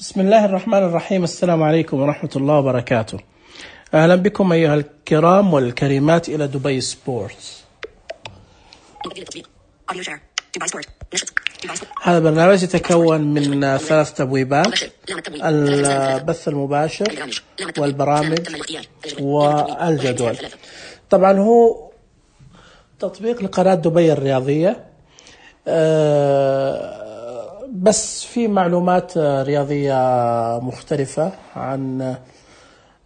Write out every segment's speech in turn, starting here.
بسم الله الرحمن الرحيم. السلام عليكم ورحمة الله وبركاته. أهلا بكم أيها الكرام والكريمات إلى دبي سبورتس. هذا برنامج يتكون من 3 تبويبات: البث المباشر والبرامج والجدول. طبعا هو تطبيق لقناة دبي الرياضية، بس في معلومات رياضية مختلفة عن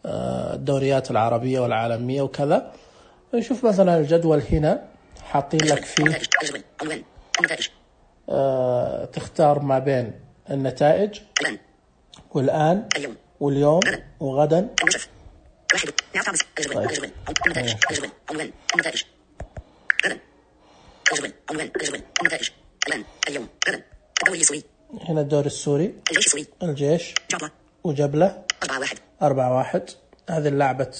الدوريات العربية والعالمية وكذا. نشوف مثلا الجدول هنا حاطين لك فيه تختار ما بين النتائج والآن واليوم وغدا. هنا الدوري السوري، الجيش وجبلة 4-1. هذه اللعبة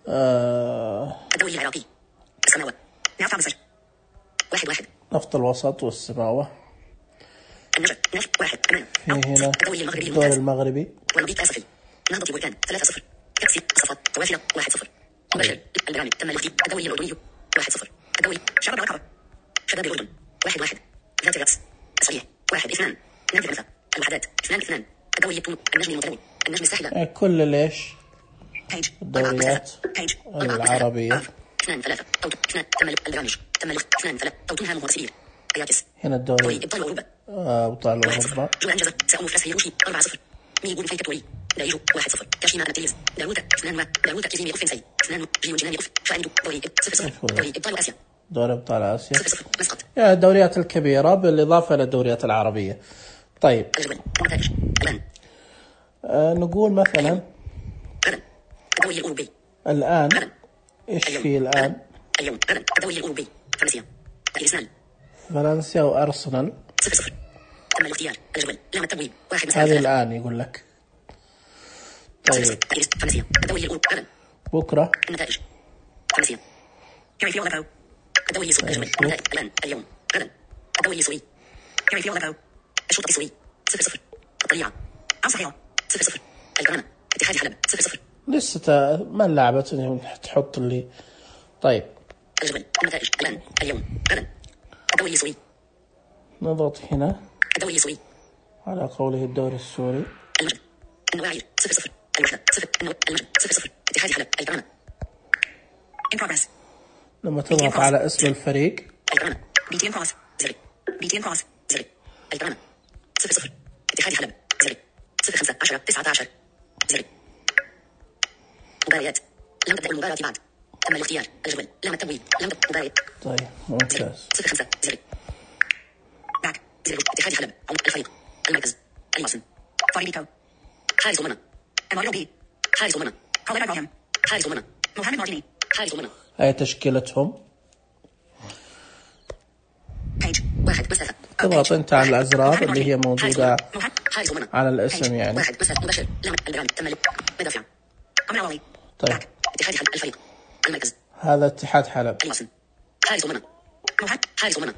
الدوري العراقي السماوة 1 نفط الوسط والسماوة. النجف 1. في هنا الدوري المغربي والمضيق آسفي نهضة بركان 3-0. كأس الصفات توافلة 1-0. مباشر البرامج تم الاختيار. الدوري الأردني 1-0. الدوري شباب العقبة شباب الأردن 1-1. ذات الرأس الصريح 1-2. نادي الأنثى الوحدات 2-2. الدوري التونسي النجم المتنوع النجم الساحلة كل ليش الدوريات العربية 2-3 أو 2 تم البرامج تم 2-3 أو توتنهام ومارسيليا أياكس. هنا الدوري إبطال أوروبا أبطال أوروبا. جو أنجز سأمو فلسفي روشي 4-0. ميغون فيك توري دايجو 1-0. كاشيما أنتيز داروتا 2 داروتا كيزيمي أوف فينسي 2 جيو جيناني أوف فاندو دوري 0-0. دوري إبطال آسيا دوري أبطال آسيا 0-0. مسقط الدوريات الكبيرة بالإضافة إلى الدوريات العربية. طيب النتائج الآن نقول مثلا الدوري الأوروبي الآن إيش في الآن؟ اليوم الدوري الأوروبي فرنسا الإسنان فرنسا وأرسنال 0-0. تم الاختيار الجدول لام التبويب 1 هذه الآن يقول لك. طيب فرنسا الدوري الأوروبي بكرة النتائج فرنسا كيف يغلبوا الدوري السوري الجدول الآن اليوم غدا الدوري السوري كيف يغلبوا الشوط السوري 0-0. الطليعة صحيحة 0-0. الكرامة اتحاد حلب 0-0. لسه ما لعبت تحط اللي. طيب الجدول النتائج الآن اليوم غدا الدوري السوري نضغط هنا الدوري السوري على قوله الدوري السوري. المجد النواعي 0-0. الوحدة 0. المجد 0-0. اتحاد حلب الكرامة in progress. لما تضغط على اسم الفريق الكرامة BTN Cross 0. BTN Cross 0. الكرامة 0-0. اتحاد حلب 0. 0-5-10-19 0. مباريات لم تبدأ المباراة بعد تم الاختيار الجدول لم التبويب لم تبدأ مباراة. طيب ممتاز. 0-5 0. باك 0. اتحاد حلب الفريق المركز الياسن فاريبيكو حارس المرمى أماريو بي حارس المرمى خالد إبراهيم حارس المرمى محمد مارتيني حارس المرمى. هاي تشكيلتهم. بيج 1 مسافة تضغط انت على الازرار اللي هي موجودة على الاسم يعني. 1 مسافة مباشر لم البرامج تم مدافع أمراوي. طيب باك اتحاد حلب الفريق المركز هذا اتحاد حلب. الياسن حارس المرمى حارس المرمى.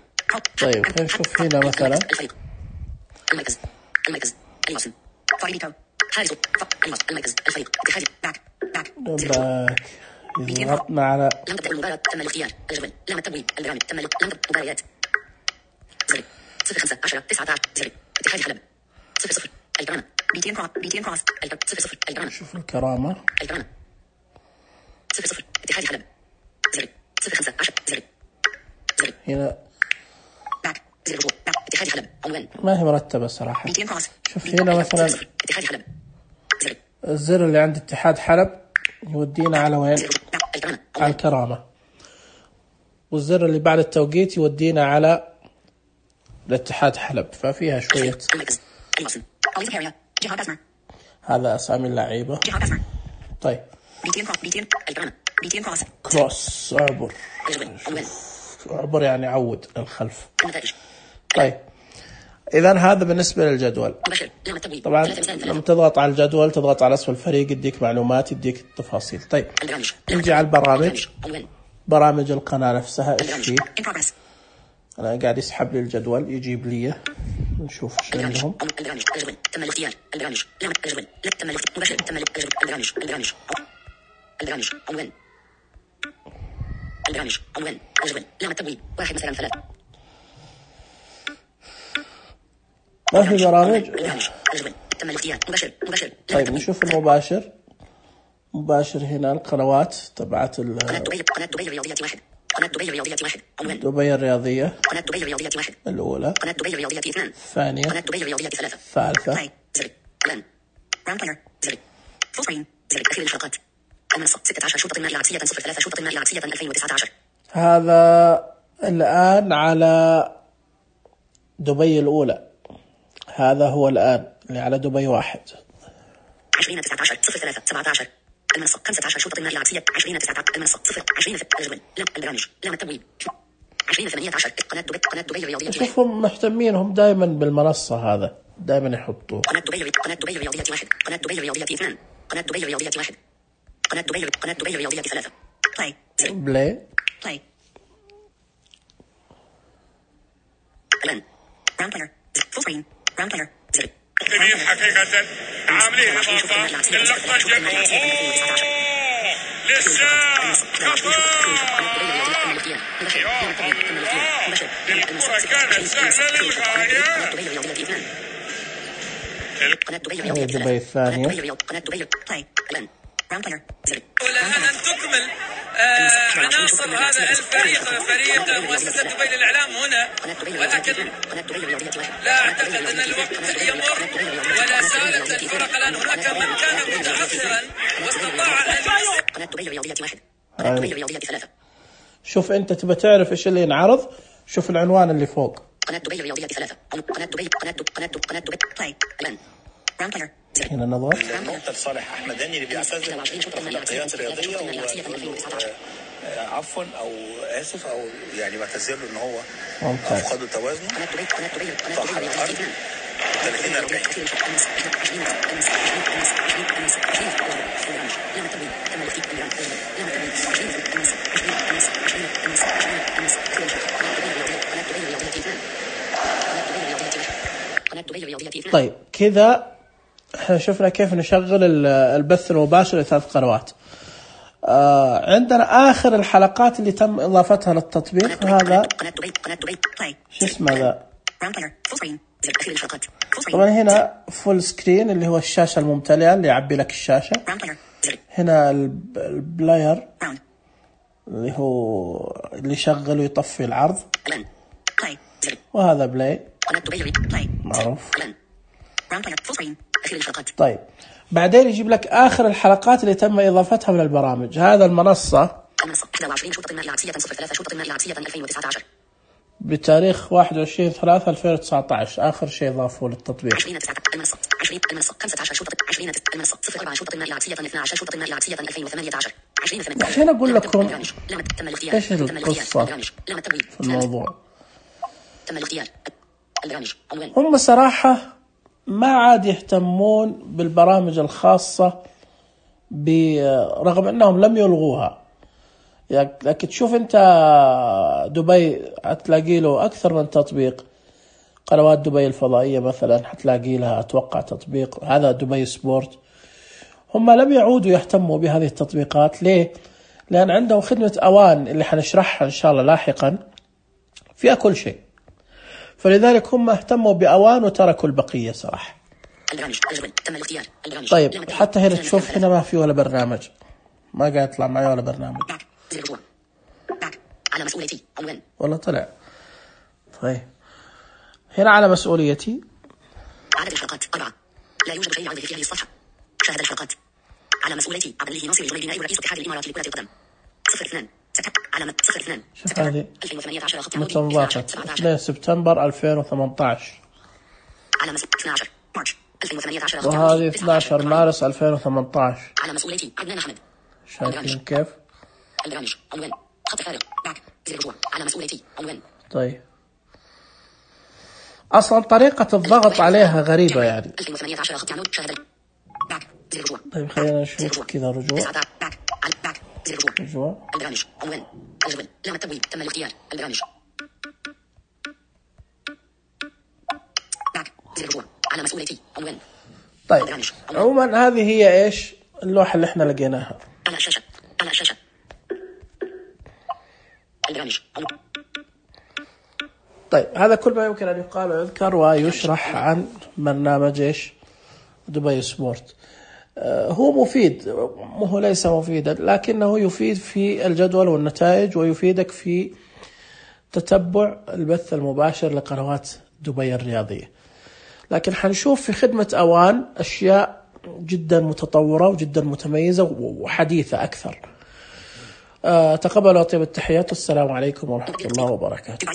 طيب خلينا نشوف هنا مثلا الفريق المركز الياسن فاريبيكو حارس المركز الفريق اتحاد باك باك ضغطنا على لم تبدأ المباراة تم الاختيار الجدول لم التبويب البرامج تم لم تبدأ مباريات 0-5-10-19 0. اتحاد حلب 0-0. الكرامة BTN Cross 0-0. الكرامة شوف الكرامة 0-0. اتحاد حلب 0. 0-5-10 0. هنا باك 0 رجوع باك اتحاد حلب عنوان ما هي مرتبة صراحة. BTN Cross شوف هنا مثلا 0-0. اتحاد حلب 0. الزر اللي عند اتحاد حلب يودينا على وين؟ الكرامة على الكرامة. والزر اللي بعد التوقيت يودينا على الاتحاد حلب. ففيها شوية. المركز الياسن أليزا هيريا جهاد أسمر هذا أسامي اللعيبة. جهاد أسمر طيب BTN الكرامة BTN Cross كروس اعبر. اعبر يعني عود للخلف. النتائج طيب إذا هذا بالنسبة للجدول. مباشر لم التبويب طبعا لما تضغط على الجدول تضغط على اسم الفريق يديك معلومات يديك التفاصيل. طيب البرامج نجي على البرامج. عنوان برامج القناة نفسها ايش فيه؟ in progress. أنا قاعد يسحب لي الجدول يجيب لي نشوف ايش عندهم. البرامج الجدول تم الاختيار. البرامج لا الجدول لا تم مباشر تم البرامج البرامج عنوان البرامج عنوان الجدول لا التبويب 1 مثلا 3 ما في برامج. البرامج الجدول تم الاختيار مباشر. طيب نشوف المباشر. مباشر هنا القنوات تبعت قناة دبي الرياضيات 1 قناة دبي الرياضيات 1 عنوان دبي الرياضية قناة دبي الرياضيات 1 الأولى قناة دبي الرياضيات 2 الثانية قناة دبي الرياضيات 3 الثالثة زر اعلان راوند بلاير زر فول سكرين زر اخير الحلقات المنصة 16 شوط المال العكسية 03 شوط المال العكسية 2019. هذا الآن على دبي الأولى. هذا هو الآن اللي على دبي 1 2019 03 17 المنصة 15 شوط المال العكسية 2019 المنصة 0 20 الجدول لا البرامج لا التبويب 2018 قناة دبي الرياضيات. شوفهم مهتمين هم دائما بالمنصة. هذا دائما يحطوه. قناة دبي الرياضيات 1 قناة دبي الرياضيات 2 قناة دبي الرياضيات 1 قناة دبي الرياضيات 3 بلاي اعلان راوند بلاير فول سكرين راوند بلاير زر جميل حقيقة عاملين إضافة للقطة الجمهور للشام خطأ الكرة كانت سهلة للغاية. قناة دبي دبي الثانية قناة دبي اعلان راوند بلاير زر والآن أن تكمل عناصر هذا الفريق فريق مؤسسة دبي للإعلام هنا، ولكن لا أعتقد أن الوقت يمر ولا زالت الفرق الآن. هناك من كان متأخرا واستطاع أن قناة دبي الرياضيات 1 قناة دبي الرياضيات 3 شوف أنت تبى تعرف إيش اللي ينعرض. شوف العنوان اللي فوق قناة دبي الرياضيات 3 قناة دبي بلاي اعلان راوند بلاير هنا نظر. نقطة لصالح أحمد هاني اللي بيعتذر في التغطيات الرياضية عفوا أو آسف أو يعني بعتذر له إن هو أفقد توازنه. طاح على الأرض 30 40 طيب كذا احنا شفنا كيف نشغل البث المباشر لثلاث قنوات. عندنا آخر الحلقات اللي تم إضافتها للتطبيق. هذا شو اسمه ذا. طبعا هنا فول سكرين اللي هو الشاشة الممتلئة اللي يعبي لك الشاشة. هنا البلاير اللي هو اللي يشغل ويطفي العرض. وهذا بلاي معروف. طيب بعدين يجيب لك آخر الحلقات اللي تم إضافتها من البرامج. هذا المنصة 21 شوط المال العكسية 03 شوط المال العكسية 2019 بتاريخ 21/3/2019 آخر شيء ضافوه للتطبيق. 20 المنصة 15 شوط 20 المنصة 04 شوط المال العكسية 12 شوط المال العكسية 2018 الحين أقول لكم إيش القصة في الموضوع. تم الاختيار البرامج هم صراحة ما عاد يهتمون بالبرامج الخاصة رغم أنهم لم يلغوها. لكن تشوف أنت دبي هتلاقي له أكثر من تطبيق. قنوات دبي الفضائية مثلا هتلاقي لها أتوقع تطبيق. هذا دبي سبورت. هم لم يعودوا يهتموا بهذه التطبيقات. ليه؟ لأن عندهم خدمة أوان اللي حنشرحها إن شاء الله لاحقا فيها كل شيء. فلذلك هم اهتموا بأوان وتركوا البقية صراحة. طيب حتى هنا تشوف هنا ما في ولا برنامج. ما قاعد يطلع معي ولا برنامج على مسؤوليتي عنوان ولا طلع. طيب هنا على مسؤوليتي عدد الحلقات 4 لا يوجد شيء يعرض في هذه الصفحة. شاهد الحلقات على مسؤوليتي عبد الله ناصر الجميلي نائب رئيس اتحاد الإمارات لكرة القدم 02 علامة 02 شوف هذه 2018 متى انضافت 2 سبتمبر 2018 على 12 مارس 2018 وهذه 12 مارس 2018 على مسؤوليتي عدنان أحمد. شايفين كيف؟ البرامج عنوان خط فارغ باك زر رجوع على مسؤوليتي عنوان. طيب أصلا طريقة الضغط عليها غريبة يعني. 2018 خط عنود شاهد باك زر رجوع. طيب خلينا نشوف كذا رجوع. باك على باك زر رجوع. رجوع. البرامج عنوان الجدول لا التبويب تم الاختيار. البرامج زر الرجوع على مسؤوليتي عنوان. طيب عموما هذه هي ايش اللوحة اللي احنا لقيناها على الشاشة. على الشاشة البرامج. طيب هذا كل ما يمكن أن يقال ويذكر ويشرح عن برنامج ايش دبي سبورت. هو مفيد، هو ليس مفيدا لكنه يفيد في الجدول والنتائج، ويفيدك في تتبع البث المباشر لقنوات دبي الرياضية. لكن حنشوف في خدمة أوان أشياء جدا متطورة وجدا متميزة وحديثة أكثر. تقبلوا طيب التحيات والسلام عليكم ورحمة الله وبركاته.